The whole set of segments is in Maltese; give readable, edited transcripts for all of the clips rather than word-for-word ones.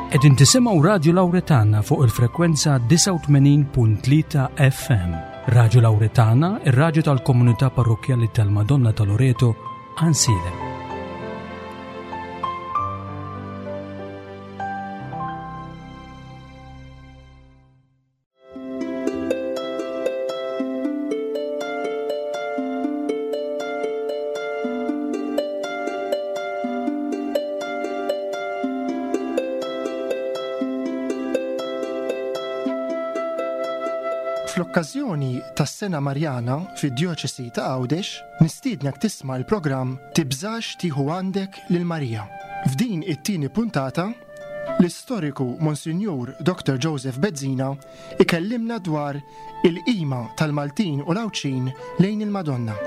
Qegħdin tisimgħu Radju Lawretana fuq il-frekwenza 89.3 FM. Radju Lawretana, ir-radju tal-komunità parrokkjali tal-Madonna ta' Loreto, Ansilem. Fl-okkażjoni tas-Sena Marjana fid-Djoċesi ta' Għawdex, nistiednek tisma' l-programm Tibżax tieħu għandek lil Marija. F'din it-tieni puntata, L-istoriku Monsinjur Dr. Joseph Bezzina ikellimna dwar il-qima tal-Maltin u l-Għawdxin lejn il-Madonna.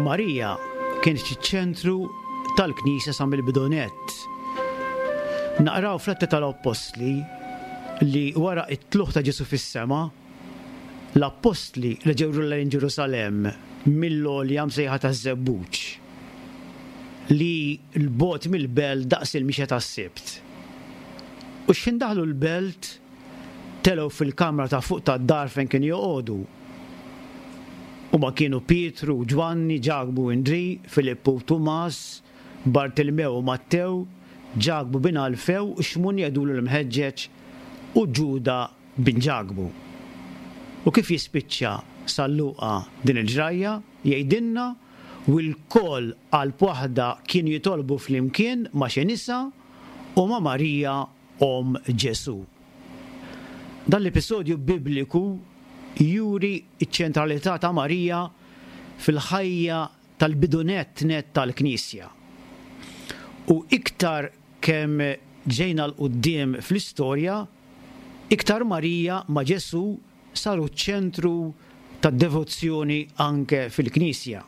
Marija kienet iċ-ċentru tal-Knisja sa mill-bidu nett. Naqraw fl-Atti tal-Appostli li wara t-tlugħ ta' Ġesù fis-sema, L-appostli reġgħu lura lejn Ġerusalemm mill-għolja msejħa taż-Żebbuġ, li hi 'l bogħod mill-belt daqs il-mixja tas-Sibt. U xħin daħlu l-belt, telgħu fil-kamra ta' fuq tad-dar fejn kienu joqogħdu. Huma kienu Pietru u Ġwanni, Ġakbu u Indrì, Filippu u Tumas, Bartilmew u Mattew, Ġakbu bin Alfew u Xmun jgħidulu l-Imħeġġeġ, u Ġuda bin Ġakbu. U kif jispiċċa San Luqa din il-ġrajja, jgħidilna, U lkoll qalb waħda kienu jitolbu flimkien ma' xi nisa u ma' Marija omm Ġesù. Dan l-episodju bibliku juri ċ-ċentralità ta' Marija fil-ħajja tal-bidu nett nett tal-Knisja. U iktar kemm ġejna 'l quddiem fl-istorja, iktar Marija ma' Ġesù saru ċ-ċentru tad-devozzjoni anke fil-Knisja.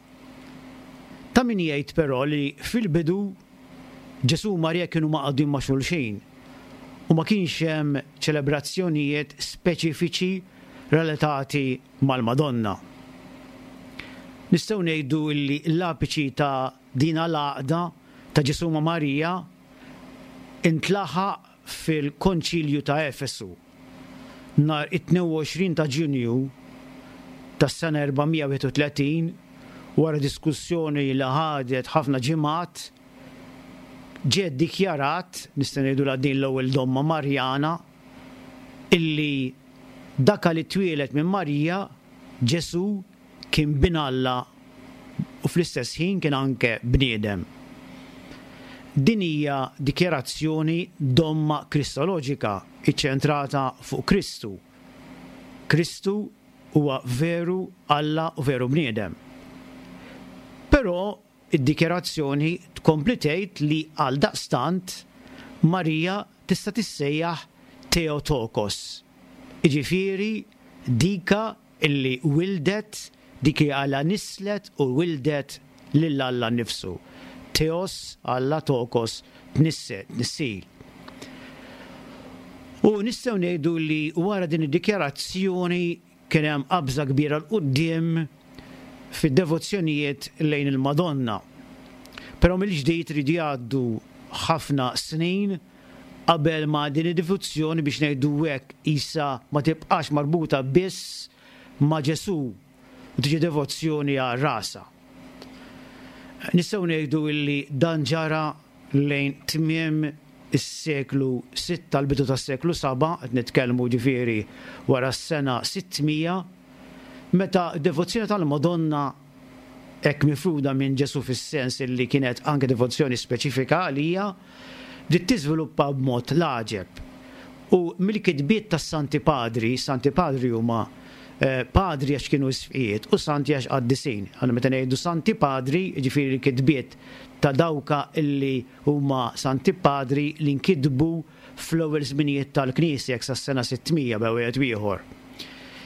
Ta' min jgħid però li fil-bidu Ġesù u Marija kienu mgħaqqdin ma' xulxin u ma kienx hemm ċelebrazzjonijiet speċifiċi relatati mal-Madonna. Nistgħu ngħidu li l-apiċi ta' dina l-għaqda ta' Ġesù ma' Marija intlaħaq fil-Konċilju ta' Efesu nhar it-22 ta' Ġunju tas-sena 431, wara diskussjoni li ħadet ħafna ġimgħat, ġie ddikjarat, nistgħu ngħidulha din l-ewwel domma Marjana, illi dak li twieled minn Marija, Ġesù, kien Bin Alla u fl-istess ħin kien anke bniedem. Din hija dikjarazzjoni domma kristoloġika iċċentrata fuq Kristu. Kristu huwa veru Alla u veru bniedem. Però id-dikjarazzjoni tkompli tgħid li għaldaqstant Marija tista' tissejjaħ Theotokos, jiġifieri dika illi wildet, dik li Alla nisslet u wildet lil Alla nnifsu. Theos, Alla, tokos, tnissel, tnissil. U nistgħu ngħidu li wara din id-dikjarazzjoni kien hemm qabża kbira 'l quddiem fid-devozzjonijiet lejn il-Madonna. Però mill-ġdid iridu jgħaddu ħafna snin qabel ma din id-devozzjoni biex ngħidu hekk qisha ma tibqax marbuta biss ma' Ġesù u tiġi devozzjoni għal rasha. Nistgħu ngħidu illi dan ġara lejn tmiem is-seklu sitta l-bidu tas-seklu saba', qed nitkellmu ġifieri wara s-sena 600, meta d-devozzjoni tal-Madonna hekk mifruda minn Ġesù fis-sens illi kienet anke devozzjoni speċifika għalija, bdiet tiżviluppa b'mod l-għaġeb. U mill-kitbiet tas-Santi Padri, Santi Padri huma padri għax kienu isqfijiet u santi għax qaddisin. Allura meta ngħidu Santi Padri, jiġifieri l-kitbiet ta' dawka illi huma Santi Padri li nkitbu fl-ewwel żminijiet tal-Knisja, hekk sas-sena 600 bejn wieħed u ieħor,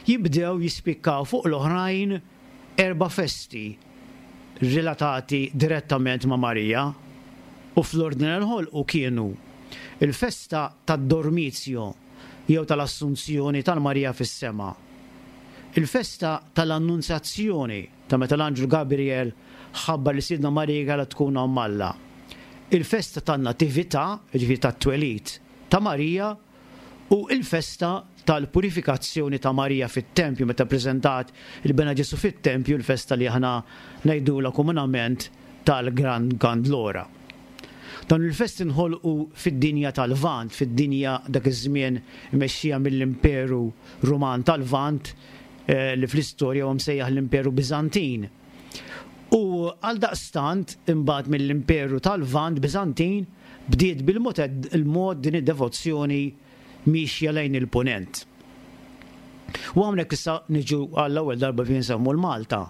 jibdew jispikkaw fuq l-oħrajn erba' festi relatati direttament ma' Marija u fl-ordni li nħolqu kienu l-festa tad-Dormitio jew tal-Assunzjoni tal-Marija fis-Sema. Il-festa tal-Annunzjazzjoni, ta' meta l-Anġlu Gabriel ħabbar li Sidna Marija kellha tkun Omm Alla. Il-festa tan-Natività, jiġifieri tat-twelid ta' Marija, u l-festa tal-Purifikazzjoni ta' Marija fit-Tempju, meta ppreżentat il-Bena Ġesù fit-Tempju, il-festa li aħna ngħidulha komunament tal-Gran Gandlora. Dawn il-festi nħolqu fid-dinja tal-Lvant, fid-dinja dak iż-żmien imexxija mill-Imperu Ruman tal-Lvant, li fl-istorja huwa msejjaħ l-Imperu Biżantin. U għaldaqstant, imbagħad mill-Imperu tal-Lvant Biżantin, bdiet bil-mod il-mod din id-devozzjoni miexja lejn il-Punent. U hawnhekk issa niġu għall-ewwel darba fejn nsemmu l-Malta.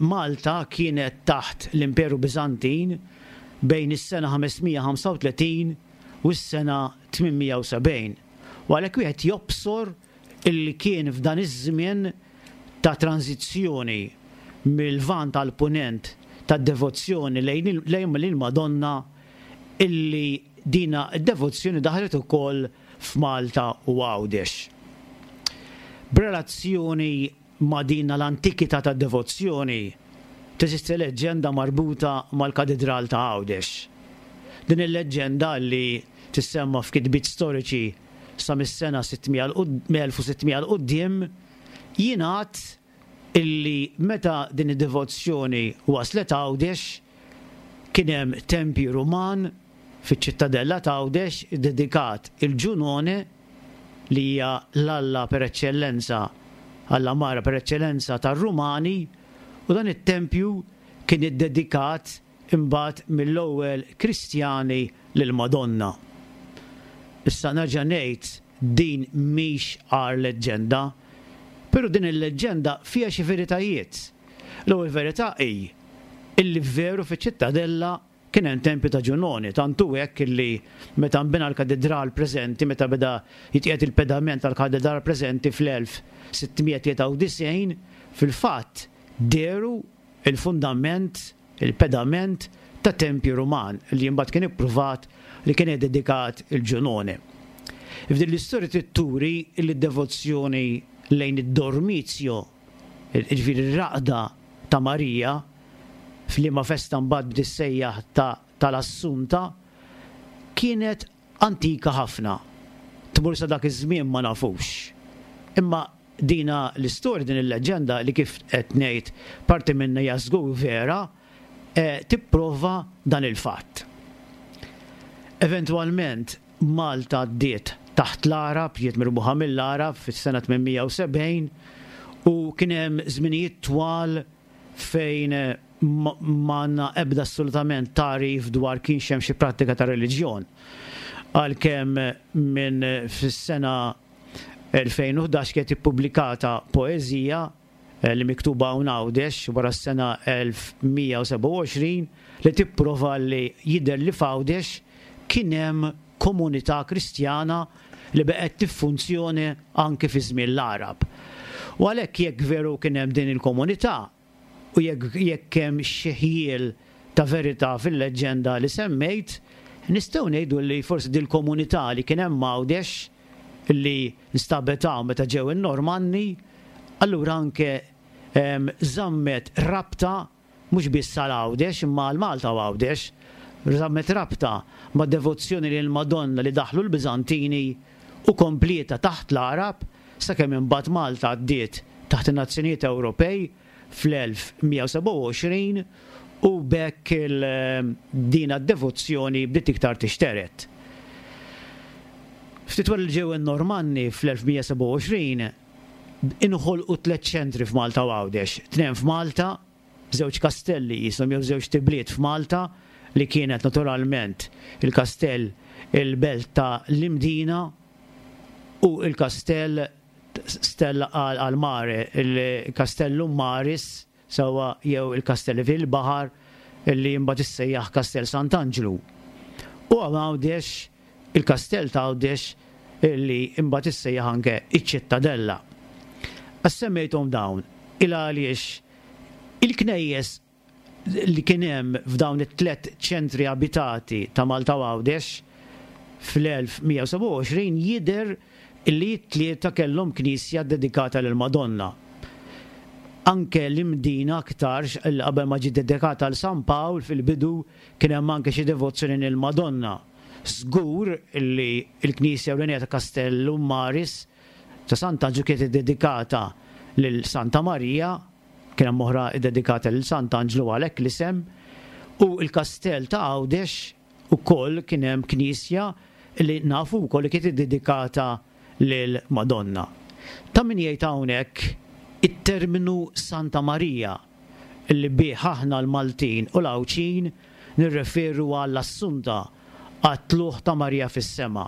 Malta kienet taħt l-Imperu Biżantin bejn is-sena 535 u s-sena 870. U għalhekk wieħed jobsor illi kien f'dan iż-żmien ta' tranżizzjoni mil-Lvant għall-Punent tad-devozzjoni lejn il-Madonna illi dina d-devozzjoni daħlet ukoll f'Malta u Għawdex. B'relazzjoni ma' dina l-antikità tad-devozzjoni teżisti leġġenda marbuta mal-Katidral ta' Għawdex. Din il-leġġenda li tissemma f'kitbiet storiċi sa mis-sena 1600 'l quddiem, jingħad illi meta din id-devozzjoni waslet Għawdex, kien hemm tempju Ruman fiċ-Ċittadella t'Għawdex iddedikat il Ġunone, li hija l-alla per eċċellenza, alla mara per eċċellenza tar-Rumani, u dan it-tempju kien iddedikat imbagħad mill-ewwel Kristjani lill-Madonna. Issa nerġa' ngħid din mhix agħar leġġenda, però din il-leġġenda fiha xi veritajiet. L-ewwel verità hi illi veru fiċ-Ċittadella kien hemm tempju ta' Ġunoni, tant hu hekk illi meta nbena l-katidral preżenti, meta beda jitqiegħed il-pedament tal-katidral preżenti fl-1693, fil-fatt dehru il-fundament, il-pedament ta' tempju Ruman li imbagħad kien ippruvat li kien iddedikat il Ġunone. F'din l-istorja trid turi li d-devozzjoni lejn id-Dormitio, jiġifieri r-raqda ta' Marija, f'liema festa mbagħad bdiet issejjaħ ta' tal-Assunta, kienet antika ħafna. Tmur sa dak iż-żmien ma nafux. Imma Dina l-istorja, din il-leġġenda li kif qed ngħid parti minnha hija żgur vera, tipprova dan il-fatt. Eventwalment Malta għaddiet taħt l-Għarab, ġiet mirbuħa mill-Għarab fis-sena 870 u kien hemm żminijiet twal fejn m'għandna ebda assolutament tagħrif dwar kienx hemm xi prattika ta' reliġjon. Għalkemm minn fis-sena 2011 kienet ippubblikata poeżija li miktuba hawn Għawdex wara s-sena 1127 li tipprova li jidher li f'Għawdex kien hemm komunità Kristjana li baqgħet tiffunzjoni anki fi żmien l-Għarab. U għalhekk jekk veru kien hemm din il-komunità, U jekk jekk hemm xi ħjiel ta' verità fil-leġġenda li semmejt, nistgħu ngħidu li forsi dil-komunità li kien hemm Għawdex li nstabet hawn meta ġew in-Normanni, allura anke żammet rabta mhux biss għal Għawdex imma għal Malta u Għawdex, żammet rabta mad-devozzjoni lill-Madonna li daħlu l-Biżantini u komplietha taħt l-Għarab sakemm imbagħad Malta għaddiet taħt in-nazzjonijiet Ewropej fl-1127 u b'hekk dina d-devozzjoni bdiet iktar tixtered. Ftit wara li ġew in-Normanni fl-1127 inħolqu tlett ċentri f'Malta u Għawdex, tnejn f'Malta, żewġ kastelli qishom jew żewġt ibliet f'Malta li kienet naturalment il-kastell il-belt ta' l-Imdina u l-kastell Stella al Mare, il-Castellum Maris sewwa jew il-kastell fil-baħar li mbagħad issejjaħ Kastell Sant'Anġlu. U hawn Għawdex il-kastell ta' Għawdex li mbagħad issejjaħ anke iċ-Ċittadella. Għax semmejthom dawn? Il għaliex il-knejjes li kien hemm f'dawn it-tlett ċentri abitati ta' Malta u Għawdex fl-1127 jidher illi t-tlieta kellhom knisja ddedikata lill-Madonna. Anke l-Imdina aktarx li qabel ma ġiet dedikata għal San Pawl fil-bidu kien hemm anke xi devozzjoni lill-Madonna. Żgur li l-knisja ewlenija ta' Castellum Maris ta' Sant'Anġlu kienet iddedikata lil Santa Marija, kien hemm oħra ddedikata lil Sant'Anġlu għalhekk l-isem, u l-kastell ta' Għawdex ukoll kien hemm knisja li nafu wkoll li kienet iddedikata lill-Madonna. Ta' min jgħid hawnhekk it-terminu Santa Marija li bih aħna l-Maltin u l-Għawdxin nirreferu għall-Assunta, għat-Tlugħ ta' Marija fis-Sema.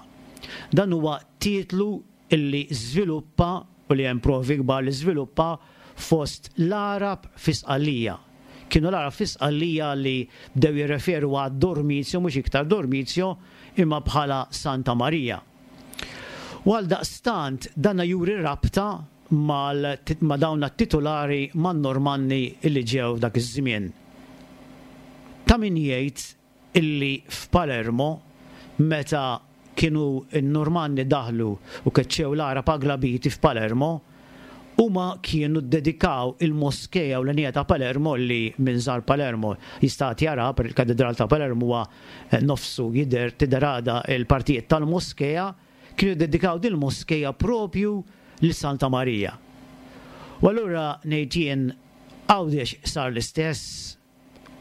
Dan huwa titlu li żviluppa, u li hemm provi kbar li żviluppa, fost l-Għarab fi Sqallija. Kienu l-Għarab fi Sqallija li bdew jirreferu għad-Dormizio, mhux iktar Dormizio, imma bħala Santa Marija. U għaldaqstant dana juri rabta mal ma' dawn t-titulari man-Normanni li ġew dak iż-żmien. Ta' min jgħid illi f'Palermo meta kienu n-Normanni daħlu u keċċew l-Għarab Aglabiti f'Palermo, huma kienu ddedikaw il-moskea ewlenija ta' Palermo li min żar Palermo jista' għad jaraha, per il-Katidral ta' Palermo huwa nofsu jidher tidher għadha l-partijiet tal-moskea, kienu ddedikaw din il-moskea propju lil Santa Marija. U allura ngħid jien Għawdex sar l-istess?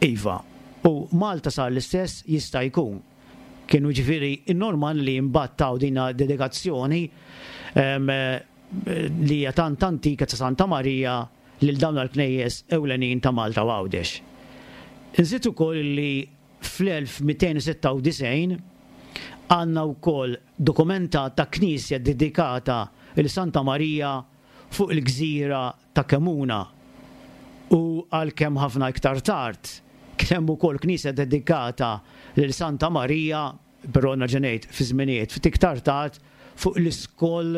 Iva. U Malta sar l-istess? Jista' jkun. Kienu ġifieri n-Normanni li mbagħad taw din dedikazzjoni li hija tant antika ta' Santa Marija lil dawn l-knejjes ewlenin ta' Malta u Għawdex. Nżid ukoll li fl-1296 għandna wkoll dokumentat ta' knisja dedikata lil Santa Marija fuq il-gżira ta' Kemuna u għalkemm ħafna iktar tard kien hemm ukoll knisja dedikata lil Santa Marija, però nerġa' ngħid fi żminijiet ftit iktar tard, fuq l-iskoll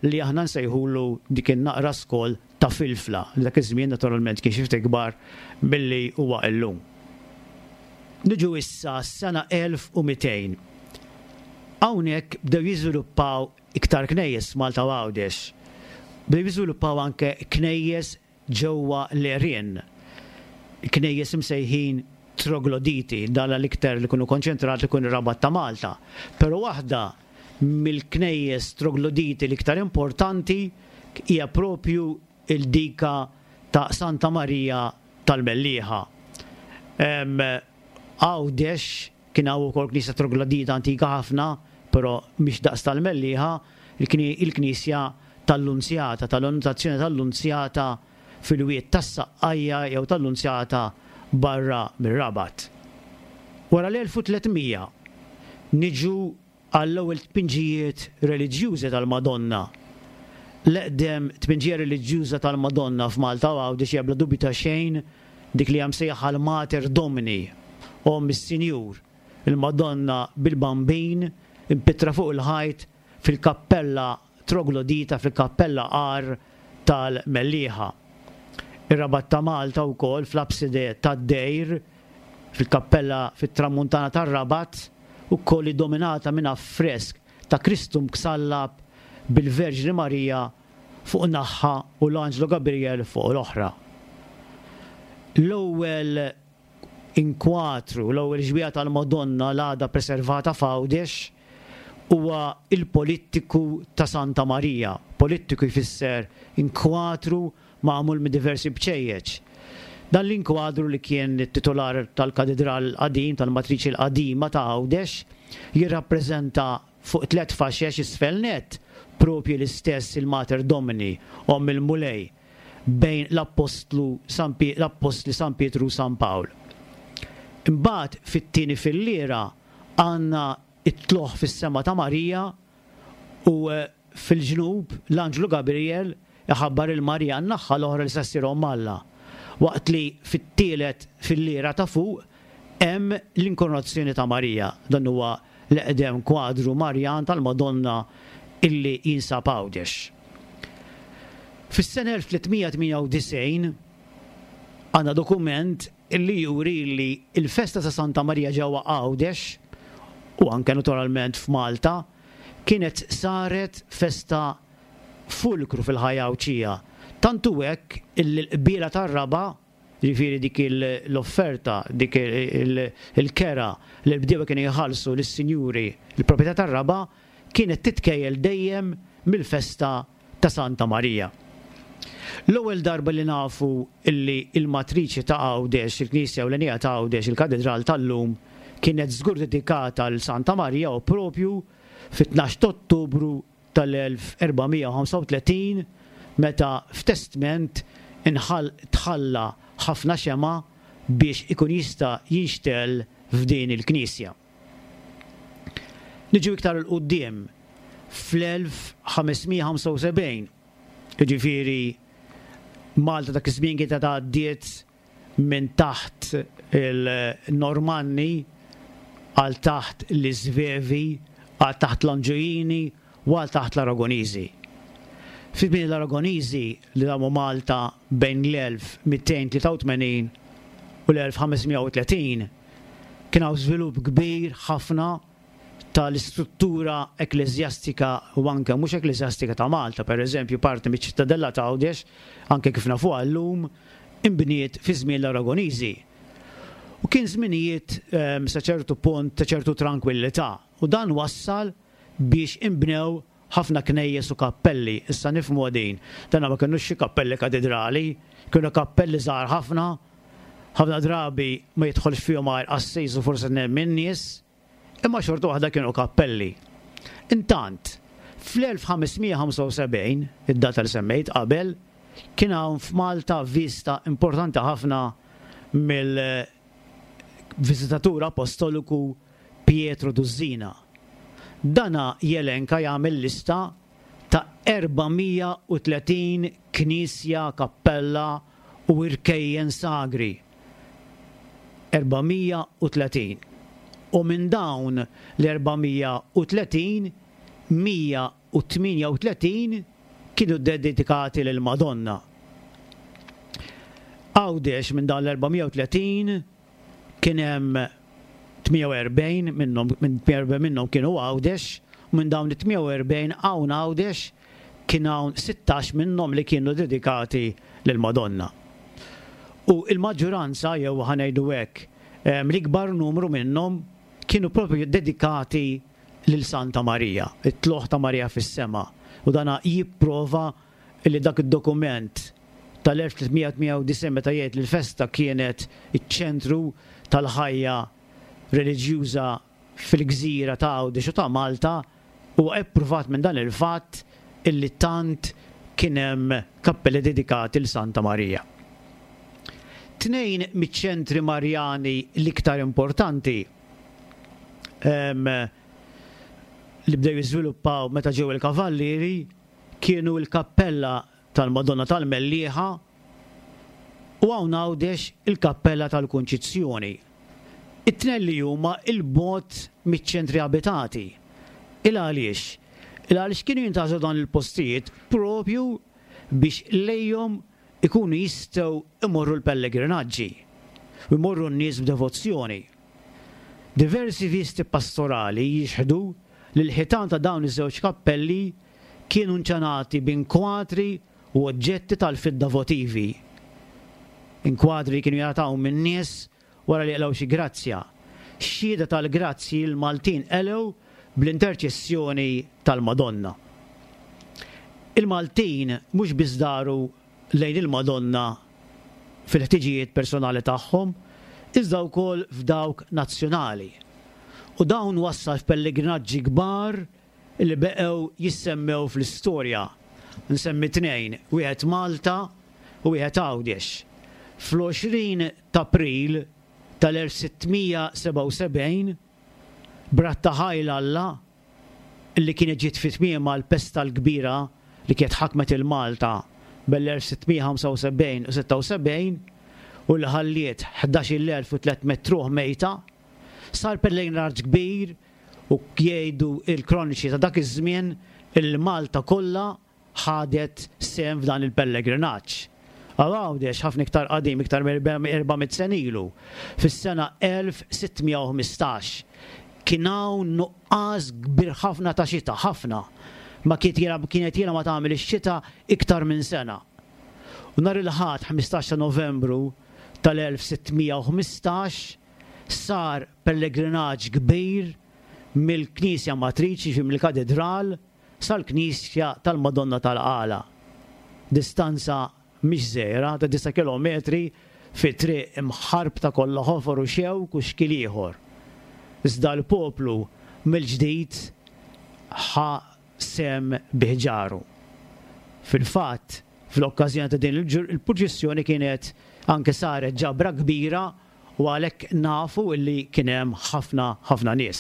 li aħna nsejħulu dik in-naqra skoll ta' Filfla, li dak iż-żmien naturalment kien xi ftit ikbar milli huwa illum. Niġu issa għas-sena 1200. Hawnhekk bdew jiżviluppaw iktar knejjes f'Malta u Għawdex. Bdew jiżviluppaw anke knejjes ġewwa l-għerien, knejjes imsejħin trogloditi, dan l-iktar li kienu konċentrati kien ir-Rabat ta' Malta. Però waħda mill-knejjes trogloditi l-iktar importanti hija propju il-dika ta' Santa Marija tal-Mellieħa. Għawdex kien hawn ukoll knisja troglodita antika ħafna, però mhix daqs tal-Mellieħa, il-knisja tal-Lunzjata, tal-Annunzjazzjoni tal-Lunzjata fil-Wied tas-Saqqajja jew tal-Lunzjata barra mir-Rabat. Wara l-1300 niġu għall-ewwel tpinġijiet reliġjużi tal-Madonna. L-eqdem tpinġija reliġjuża tal-Madonna f'Malta u Għawdex hija bla dubju ta' xejn dik li hija msejjaħa l-Mater Domini, Omm is-Sinjur, il-Madonna bil-Bambin impittra fuq il-ħajt fil-kappella troglodita fil-kappella Għar tal-Mellieħa. Ir-Rabat ta' Malta wkoll fl-apside tad-dejr fil-kappella fit-tramuntana tar-Rabat ukoll iddominata minn affresk ta' Kristu msallab bil-Verġni Marija fuq naħa u l-Anġlu Gabriel fuq l-oħra. L-ewwel inkwatru, l-ewwel xbieha tal-Madonna l-għadha preservata f'Għawdex huwa il-polittiku ta' Santa Marija. Polittiku jfisser inkwatru magħmul minn diversi bċejjeċ. Dan l-inkwadru li kien it-titular tal-Katidral l-qadim, tal-Matriċi l-qadima ta' Għawdex, jirrappreżenta fuq tlett faxex isfel nett propju l-istess il-Mater Domini, Omm il-Mulej, bejn l-Appostlu San l-Appostli San Pietru u San Pawl. Imbagħad fit-tieni filliera għandna t-tlugħ fis-sema ta' Marija u fil-ġnub l-anġlu Gabriel iħabbar 'il Marija n-naħha l-oħra li se ssir Omm Alla, waqt li fit-tielet filliera ta' fuq hemm l-Inkoronazzjoni ta' Marija. Dan huwa l-eqdem kwadru Marjan tal-Madonna illi jinsab Għawdex. Fis-sena 1398 għandna dokument illi juri li l-festa ta' Santa Marija ġewwa Għawdex u anke naturalment f'Malta. kienet saret festa fulkru fil-ħajja Għawdxija. Tant hu hekk illi l-qbiela tar-raba', jiġifieri dik l-offerta, dik il-kera li l-bdiewa kienu jħallsu lis-sinjuri l-proprjetà tar-raba', kienet titkejjel dejjem mill-festa ta' Santa Marija. L-ewwel darba li nafu illi l-matriċi ta' Għawdex, il-knisja ewlenija ta' Għawdex, il-katidral tal-lum, kienet żgur dedikata 'l Santa Marija hu propju fit-tnax t'Ottubru tal-1435 meta f'testment inħall tħalla ħafna xemgħa biex ikun jista' jinxtegħel f'din il-knisja. Niġu iktar 'il quddiem fl-1575, jiġifieri Malta dak iż-żmien kienet għaddiet minn taħt il-Normanni għal taħt l-Isvevi, għal taħt l-Anġujini u għal taħt l-Aragoniżi. Fi żmien l-Aragoniżi li damu Malta bejn l-1283 u l-1530 kien hawn żvilupp kbir ħafna tal-istruttura ekkleżjastika u anke mhux ekkleżjastika ta' Malta, per eżempju parti miċ-Ċittadella ta' Għawdex, anke kif nafuha llum, inbniet fi żmien l-Aragoniżi. U kien żminijiet sa ċertu punt ta' ċertu trankwillità u dan wassal biex inbnew ħafna knejjes u kappelli. Issa nifhmuha din, dana ma kinux xi kappelli katidrali, kienu kappelli żgħar ħafna, ħafna drabi ma jidħolx fihom għajr qassis u forsi tnejn min-nies, imma xorta waħda kienu kappelli. Intant, fl-1575, id-data li semmejt qabel, kien hawn f'Malta viżta importanti ħafna mill-viżitatur apostoliku Pietro Duzzina. Dana jelenka jagħmel lista ta' 430 knisja, kappella u irkejjen sagri. 430. U minn dawn l-430, 138 kienu ddedikati lill-Madonna. Għawdex minn dawn l-430 Kien hemm 48 minnhom, minn 48 minnhom kienu Għawdex, u minn dawn it-48 hawn Għawdex kien hawn 16 minnhom li kienu dedikati lill-Madonna. U l-maġġuranza, jew ħa ngħidu hekk, l-ikbar numru minnhom kienu proprju dedikati lil Santa Marija, it-tlugħ ta' Marija fis-sema. U dana jipprova li dak id-dokument tal-1398 meta jgħid li l-festa kienet iċ-ċentru tal-ħajja reliġjuża fil-gżira ta' Għawdex u ta' Malta huwa ippruvat minn dan il-fatt illi tant kien hemm kappelli dedikati 'l Santa Marija. Tnejn miċ-ċentri Marjani l-iktar importanti li bdew jiżviluppaw meta ġew il-Kavallieri kienu l-kappella tal-Madonna tal-Mellieħa u hawn Għawdex il-kappella tal-Kunċizzjoni. It-tnejn li huma 'l bogħod miċ-ċentri abitati. Il għaliex? Il għaliex kienu jintgħażlu dawn il-postijiet propju biex lejhom ikunu jistgħu jmorru l-pellegrinaġġi u jmorru n-nies b'devozzjoni. Diversi visti pastorali jixhdu li l-ħitan ta' dawn iż-żewġ kappelli kienu nċanati b'inkwatri u oġġetti tal-fidda votivi. Inkwadri li kienu jingħataw min-nies wara li jqilgħu xi grazzja. Xhieda tal-grazzji li l-Maltin qelgħu bl-interċessjoni tal-Madonna. Il-Maltin mhux biss daru lejn il-Madonna fil-ħtiġijiet personali tagħhom, iżda wkoll f'dawk nazzjonali. U dawn wassal f'pellegrinaġġi kbar li beqgħu jissemmew fl-istorja. Nsemmi tnejn, wieħed Malta u wieħed Għawdex. Fl-20 t'April tal-1677, b'ratta ħajl Alla li kienet ġiet fi tmiemha l-pesta l-kbira li kienet ħakmet 'il Malta bel-1675 u 76 u li ħalliet 11,300 ruħ mejta, sar pellegrinaġġ kbir U jgħidu l-kroniċi ta' dak iż-żmien illi Malta kollha ħadet sehem f'dan il-pellegrinaġġ. Għal Għawdex ħafna iktar qadim, iktar minn 400 sena ilu, fis-sena 1615. Kien hawn nuqqas kbir ħafna ta' xita, ħafna. Ma kienet ilha ma tagħmel ix-xita iktar minn sena. U nhar il-Ħadd 15 ta' Novembru tal-1615 sar pellegrinaġġ kbir mill-Knisja Matriċi, jiġifieri mill-Katidral, sal-Knisja tal-Madonna tal-Qala. Distanza mhix żgħira ta' disa' kilometri fi triq imħarbta kollha ħofor u xewk u xkiel ieħor. Iżda l-poplu mill-ġdid ħa sehem bi ħġaru. Fil-fatt, fl-okkażjoni ta' din il-purċissjoni kienet anke saret ġabra kbira u għalhekk nafu li kien hemm ħafna ħafna nies.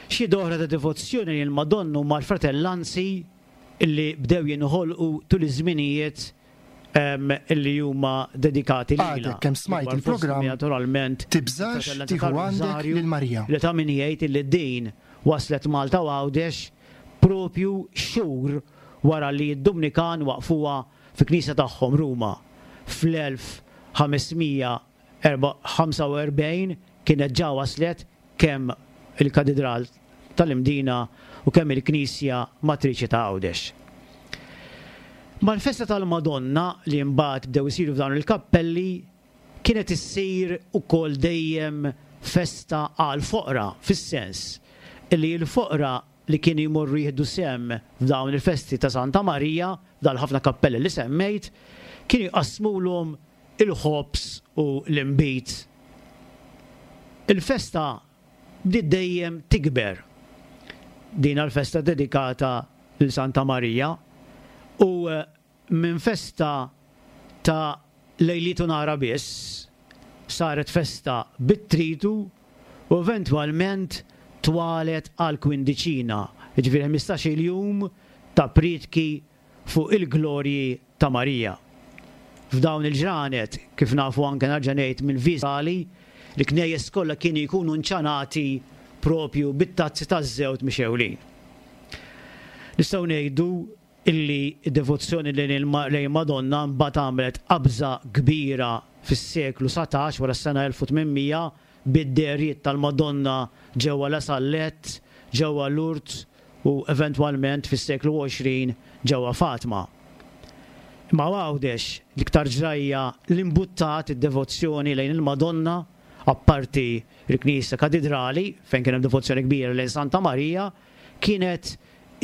Xhieda oħra ta' devozzjoni lejn il-Madonna huma l-fratellanzi li bdew jinħolqu tul iż-żminijiet li huma dedikati lilha. Għadek kemm smajt il-programm Naturalment, Tibżax il-fratellanza tieħu għandek tal-Rużarju lil Marija. li ta' min jgħid li din waslet Malta u Għawdex propju xhur wara li d-Dumnikan waqqfuha fi knisja tagħhom Ruma fl-1545 kienet ġa waslet kemm il-Katidral tal-Imdina u kemm il-Knisja Matriċi ta' Għawdex. Mal-festa tal-Madonna li mbagħad bdew isiru f'dawn il-kappelli kienet issir ukoll dejjem festa għall-foqra fis-sens li l-foqra li kienu jmorru jieħdu sehem f'dawn il-festi ta' Santa Marija, f'dawn il-ħafna kappelli li semmejt, kienu jqassmulhom il-ħobż u l-inbid. Il-festa bdiet dejjem tikber. Dina l-festa dedikata lil Santa Marija u minn festa ta' lejliet u nhara biss, saret festa bit-tritu u eventwalment twalet għal kwindiċina, jiġifieri ħmistax-il jum ta' prietki fuq il-glorji ta' Marija. F'dawn il-ġranet, kif nafu anke nerġa' ngħid mill-viżali, l-knejjes kollha kienu jkunu nċanati propju bit-tazzi taż-żewt mixgħulin. Nistgħu ngħidu illi d-devozzjoni lejn il-Madonna mbagħad għamlet qabża kbira fis-seklu 19, wara s-sena 1800, bid-dehriet tal-Madonna ġewwa La Salette, ġewwa Lourdes u eventwalment fis-seklu 20 ġewwa Fatma. Imma Għawdex, l-iktar ġrajja li mbuttat id-devozzjoni lejn il-Madonna, apparti l-Knisja Katidrali fejn kien hemm devozzjoni kbira lejn Santa Marija, kienet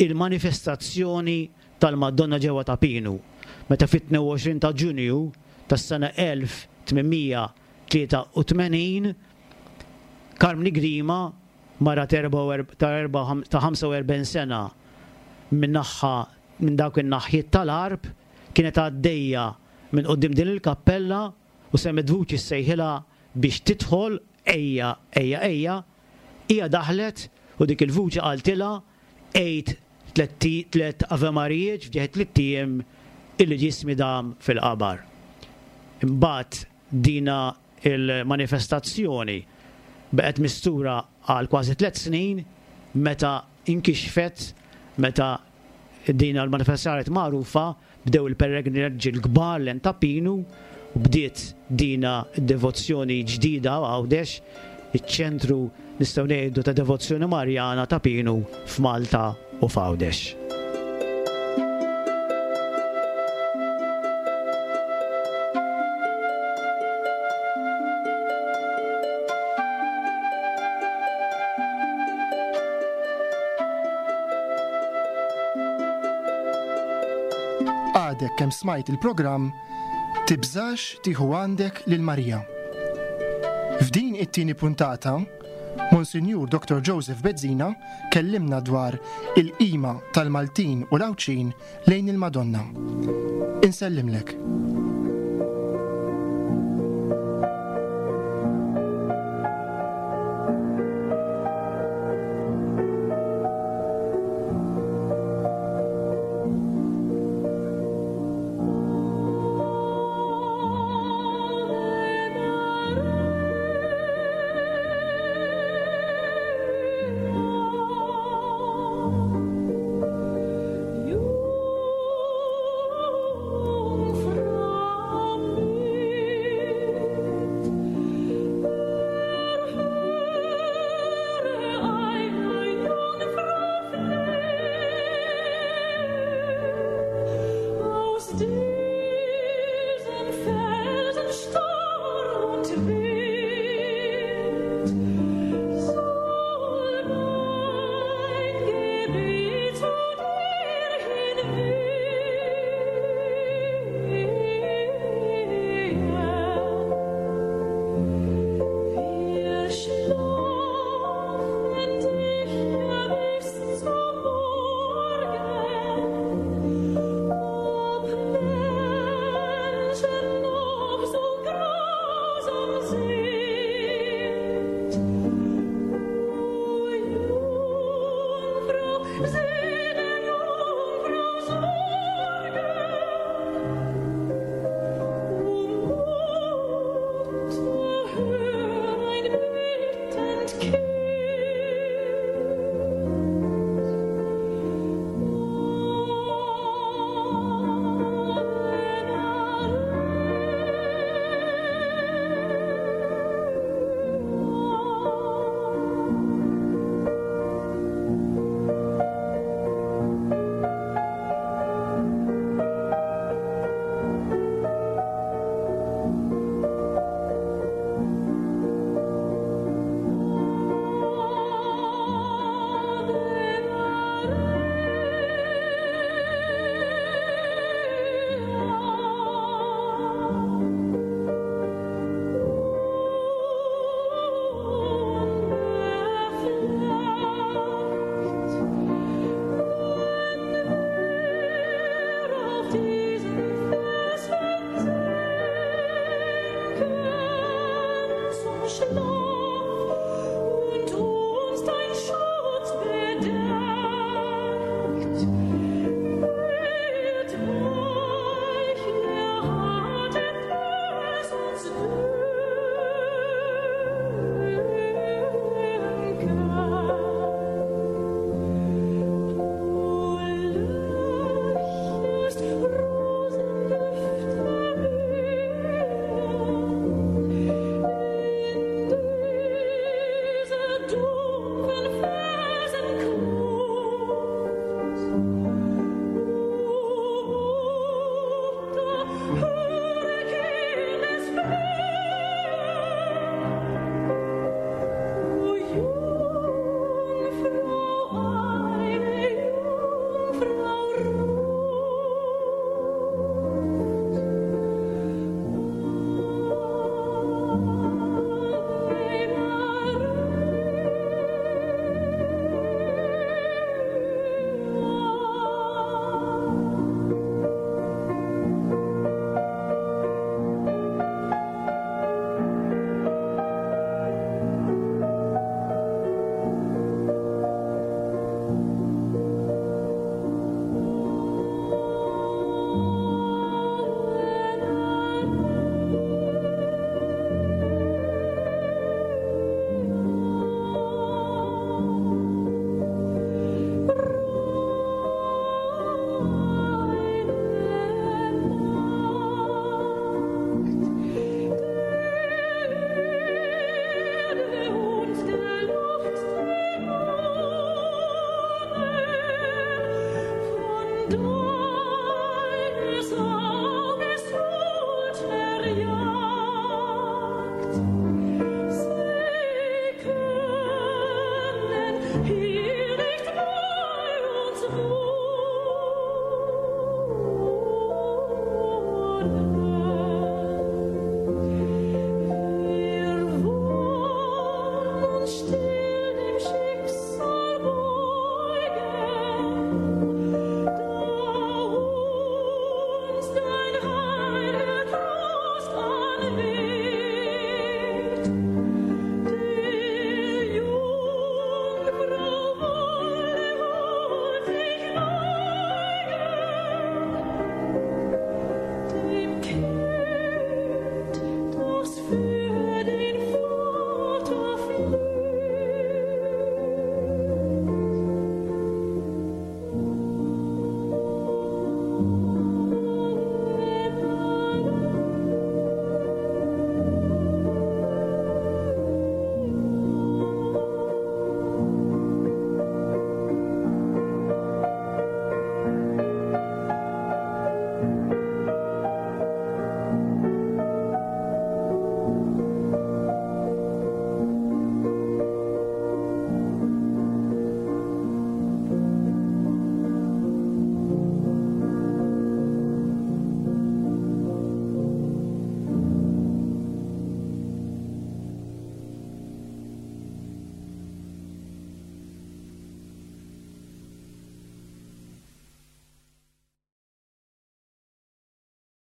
il-manifestazzjoni tal-Madonna ġewwa Ta' Pinu, meta fit-22 ta' Ġunju tas-sena 1883 Karmni Grima, mara ta' 45 sena minn naħa minn dawk in-naħjiet tal-Għarb, kienet għaddejja minn quddiem din il-kappella u semgħet vuċi ssejħilha biex tidħol, Ejja, ejja, ejja. Hija daħlet u dik il-vuċi qaltilha, Għid tlett Ave Marijiet f'ġieħ it-tlitt ijiem illi ġismi dam fil-qabar. Imbagħad dina l-manifestazzjoni baqgħet mistura għal kważi tlett snin meta inkixfet, meta Din l-manifestazzjoni saret magħrufa, bdew il-pellegrinaġġi l-kbar lejn Ta' Pinu u bdiet dina d-devozzjoni ġdida Għawdex, iċ-ċentru nistgħu ngħidu ta' devozzjoni Marjana Ta' Pinu f'Malta u f'Għawdex. Għadek kemm smajt il-programm Tibżax tieħu għandek lil Marija. F'din it-tieni puntata, Monsinjur Dr. Joseph Bezzina kellimna dwar il-qima tal-Maltin u l-Għawdxin lejn il-Madonna. Insellimlek. Du